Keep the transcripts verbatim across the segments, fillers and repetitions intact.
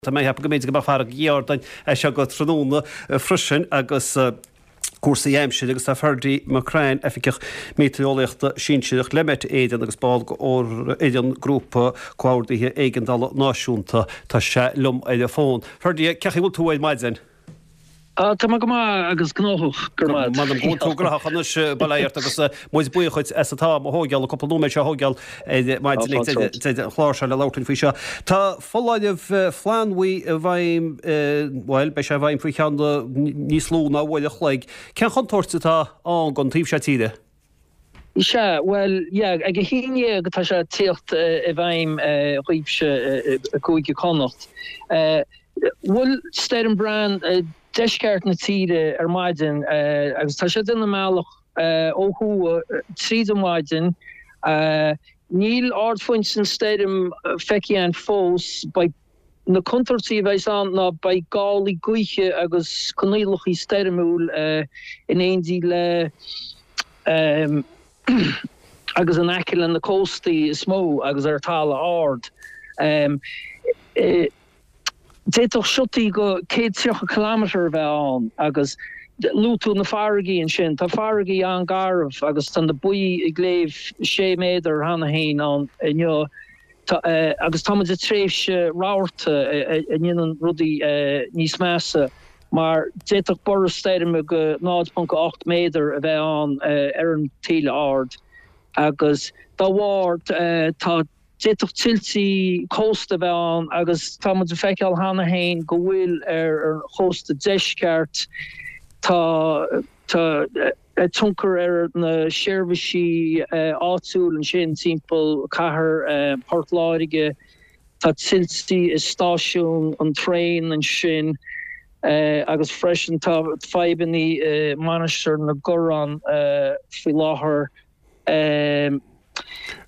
Tá mé ag ceapadh go mb'fhéidir go mbeadh fearg ag Ardain as seo go tráthnóna freisin agus cúrsaí aimsire agus tá Ferdie McCrann, Oifigeach Meitéareolaíochta Sinsearach le Met Éireann agus ball d'fhoireann Grúpa Comhordaithe Éigeandála Náisiúnta, tá sé liom ar an bhfón. Ferdie, cén chaoi a bhfuil tú ar maidin? Tá mé go maith agus gnóthach, go raibh maith. M'anam go bhfuil tú gnóthach anois, bail ort agus muid buíoch dhuit as an t-am a thógáil, an cúpla nóiméad seo a thógáil ar maidin ag deireadh an chláir seo le labhairt linn faoi seo. Tá foláireamh flannbhuí i bhfeidhm, bhuel, beidh sé i bhfeidhm faoi cheann níos lú ná uair a chloig. Cén chontúirt atá ann don taobh seo tíre? Sea, bhuel, yeah, ag a haon dhéag atá sé ag tíocht i bhfeidhm dhaoibhse i gCúige Connacht. Bhuail Stoirm Bran deisceart na tíre ar maidin agus tá sé ag déanamh a mbealach ó thuaidh tríd an mhaidin. Níl ardphointe an stoirm feicthe againn fós. Beidh na contúirtí a bheas ann ná beidh gálaí gaoithe agus coinníollacha stoirmiúil in éindí le agus in aice le na cóstaí is mó agus ar talamh ard. D'fhéadfadh siotaí go céad tríocha kilometre a bheith ann agus luaigh tú na farraigí ansin, tá farraigí an-garbh agus tá na baotha ag léamh sé méadar cheana féin ann inniu. Agus tá muid i dtréimhse rabharta a ndéanann rudaí níos measa mar d'fhéadfadh borradh stoirme go náid ponc ocht méadar a bheith ann ar an taoille ard agus dá bharr tá d'fhéadfadh tuiltí cósta a bheith ann agus tá muid ag feiceáil cheana féin go bhfuil ar an chósta deisceart. Tá tá. tionchar ar na seirbhísí áitiúil ansin timpeall cathair Port Láirge. Tá tuiltí i stáisiún an traein ansin agus freisin tá fadhbanna i Mainistir na gCorrán faoi láthair.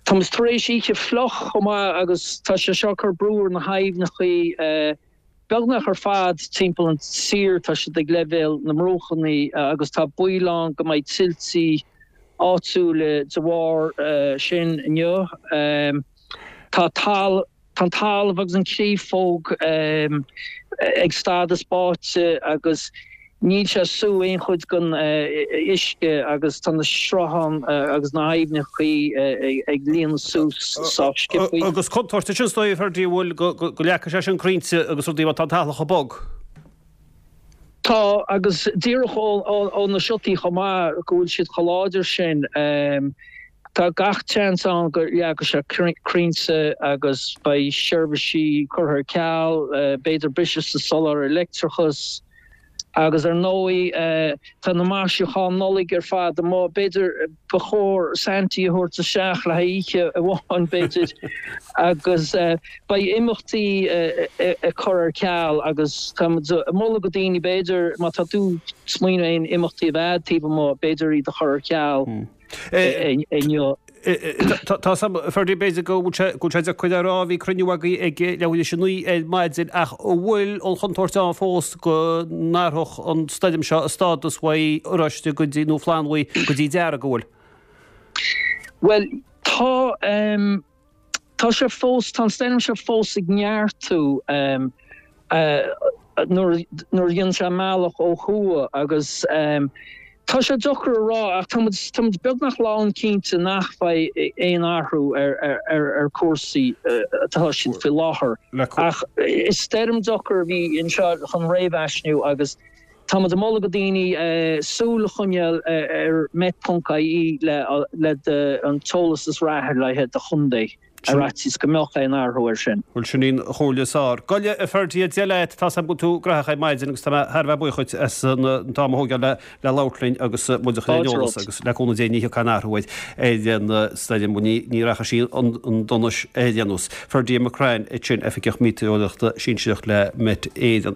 Tá muid tar éis oíche fliuch chomh maith agus tá sé seo ag cur brú ar na haibhneacha. Beagnach ar fad timpeall an tír tá siad ag leibhéal na mbruachanna agus tá baol ann go mbeidh tuiltí áitiúla de bharr sin inniu. Tá an talamh agus an chréafóg ag stádas báite agus Níl sé ag sú aon chuid den uisce agus tá na srutháin agus na haibhneacha ag líonadh suas sách sciobtha. Agus contúirt ansin is dóigh, a Ferdie, an bhfuil, go leagfaidh sé sin crainnte agus rudaí má tá an talamh chomh bog. Tá, agus díreach ó na siotaí chomh maith, go bhfuil siad chomh láidir sin, tá gach seans ann go leagfaidh sé crainnte agus beidh seirbhísí curtha ar ceal, b'fhéidir briseadh sa soláthar leictreachais. Agus ar ndóigh tá na maisiúcháin Nollag ar fad amuigh. B'fhéidir ba chóir Santy a thabhairt isteach le haghaidh oíche amháin b'fhéidir. Agus beidh imeachtaí ag cur ar ceal agus tá muid ag moladh go daoine b'fhéidir má tá tú ag smaoineamh aon imeachtaí a bheith taobh amuigh b'fhéidir iad a chur ar ceal inniu. Tá Ferdie, b'fhéidir go bhfuil sé go bhfuil sé deacair a rá, bhí cruinniú agaibh ag leathuair tar éis a naoi ar maidin ach an bhfuil an chontúirt ann fós go n-athródh an stoirm seo a stádas uaidh oráiste go dtí nó flannbhuí go dtí dearg, an bhfuil? Bhuel, tá tá sé fós, tá an stoirm seo fós ag neartú nuair nuair a dhéanann sé a mbealach ó thuaidh agus tá sé deacair a rá ach tá muid tá muid beagnach lánchinnte nach mbeidh aon athrú ar ar ar cúrsaí atá siad faoi láthair. Ach is stoirm deacair a bhí anseo chun réamhaisnéisiú agus tá muid ag moladh go daoine súil a choinneáil ar met.ie le le an t-eolas is reatha le haghaidh do chontae. Ar fhaitíos go mbeadh aon athrú air sin. Bhuel, sin í an chomhairle is fearr. Go leor, a Ferdie, Dia leat, tá 's agam go bhfuil tú gnóthach ar maidin agus tá mé thar a bheith buíoch dhuit as an t-am a thógáil le le labhairt linn agus muid a chur ar an eolas agus le cúnamh Dé ní thiocfaidh aon athrú ar ar an stoirm, ní ní rachaidh sí chun donais ar aon nós. Ferdie McCrann ansin, Oifigeach Meitéareolaíochta Sinsearach le Met Éireann.